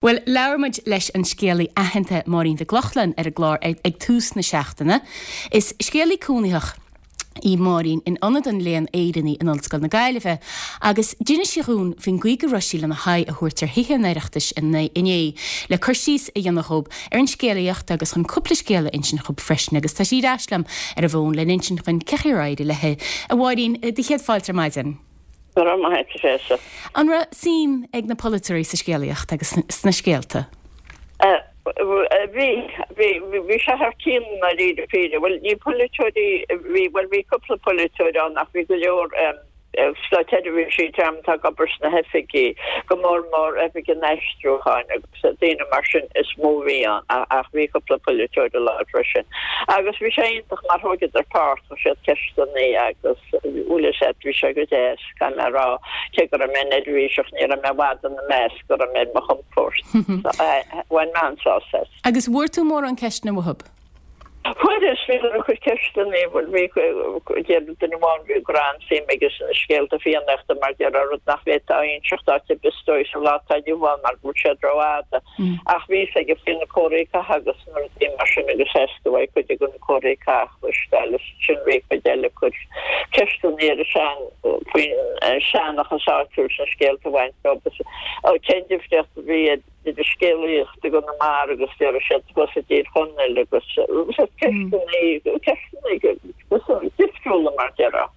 Bhuel, labhair muid leis an scéalaí aitheanta Máirín Mhic Lochlainn ar an gclár ag tús na seachtaine. Is scéalaí cónaitheach í Máirín in Ionad an Léann Éireannaigh in Ollscoil na Gaillimhe agus d'inis sí dhúinn faoin gcaoi go raibh sí lena haghaidh a thabhairt ar Thithe an Oireachtais inné le cur síos a dhéanamh dhób ar an scéalaíocht agus chun cúpla scéal a insint dhób freisin agus tá sí ar ais liom ar an bhfón lena insint dhuinn cén chaoi ar éirigh léi. A Mháirín, do chéad fáilte ar maidin. Go raibh maith a't, a Thréasa. An raibh suim ag na polaiteoirí sa scéalaíocht agus sna scéalta? Bhí, bhí, bhí sé thar cionn i ndáiríre píre. Bhuel, ní polaiteoirí a bhí, bhuel bhí cúpla polaiteoir ann ach bhí go leor státseirbhísigh an dream atá ag obair sna hoifigí, go mór mór oifig an aistriúcháin agus daoine mar sin is mó a bhí ann ach bhí cúpla polaiteoir i láthair freisin. Agus bhí sé iontach mar thóigeadar páirt, chuir siad ceisteanna agus bhuel is ea, bhí sé go deas, caithfidh mé a rá, cé go raibh mé neirbhíseach, ní raibh mé i bhfad ina measc go raibh mé ar mo chompord. So, bhain mé an-sásamh as. Agus bhfuair tú mórán ceisteanna uathub? Fuaireas, bhíodar ag cur ceisteanna, bhuel bhí, deir duine amháin go raibh an-suim aige sna scéalta Fiannaíochta mar déarfá rud nach bhféadfá a inseacht áit ar bith is dóigh sa lá atá inniu ann mar go bhfuil siad rófhada. Ach bhí fhios aige faoi na comharthaí catha agus na rudaí mar sin agus éasca uaidh cuid de na comharthaí catha a chloisteáil is ansin bhí cuid eile ag cur ceisteanna ar an sean, faoin seanchas áitiúil sna scéalta a bhain leo agus cén difríocht a bhí idir scéalaíocht i gConamara agus déarfaidh siad thuas i dTír Chonaill agus ceisteanna, ceisteanna difriúla mar déarfá.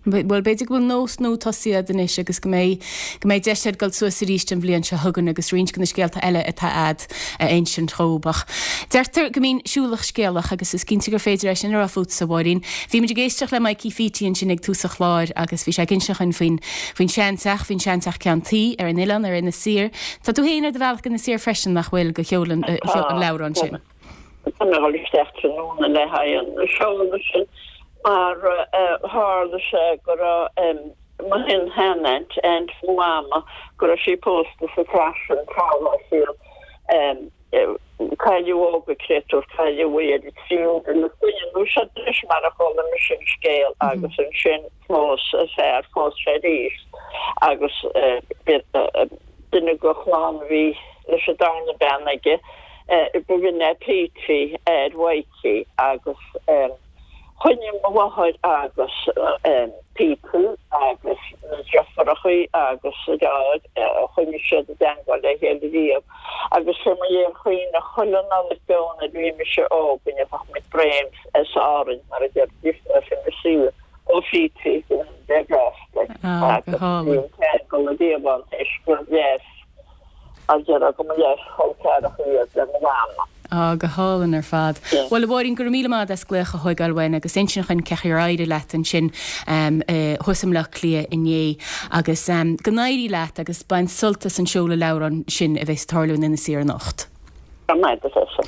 Bhuel, b'fhéidir go bhfuil nós nua tosaithe a'd anois agus go mbeidh, go mbeidh deis a'd dul suas arís an bhliain seo chugainn agus roinnt de na scéalta eile atá a'd a insint dhób. Ach deirtear go mbíonn siúlach scéalach agus is cinnte gur féidir é sin a rá fútsa, a Mháirín. Bhí muid ag éisteacht le Mikey Pheaty ansin ag tús an chláir agus bhí sé ag inseacht dhuinn faoin, faoin seanteach, faoin seanteach ceann tuí ar an oileán, ar Inis Oírr. Tá tú féin ar do bhealach go Inis Oírr freisin, nach bhfuil, go sheoladh an leabhráin sin? Tá mé ag dul isteach tráthnóna le haghaidh an seoladh sin mar tharla sé go raibh mo shin-shean-aint, aint mo mhama, go raibh sí pósta sa teach sin tráth dá saol. Cailleadh óg an créatúr, cailleadh í ar an tríú duine clainne nó seo de réir mar a chuala mise an scéal agus ansin phós a fear, phós sé arís agus duine de chlann a bhí leis an darna bean aige, b'in é Petey athair Mhaidhcí agus choinnigh mo mháthair agus Petey agus na deirfiúrachaí agus a deartháir, choinnigh siad i dteangmháil le chéile riamh agus fé mo léir chuimhne chuile Nollaig beo nuair a bhí mise óg go ngeobhadh muid braon as Árainn mar a déarfaidís nó as Inis Oírr ó Phetey go ndéana Dia grásta air agus bhí an ceangal riamh ann toisc gur leas a déarfá go mba leaschol ceathracha iad le mo mhama. Á, go hálainn ar fad. Bhuel, a Mháirín, go raibh míle maith agat as glaoch a thóigeáil uainn agus insint dhuinn cén chaoi ar éirigh leat ansin thuas i mBleá Cliath inné. Agus go n-éirí leat agus bain sult as an seoladh leabhrán sin a bheas ag tarlú in Inis Oírr anocht. Go raibh maith agat, a Thréasa.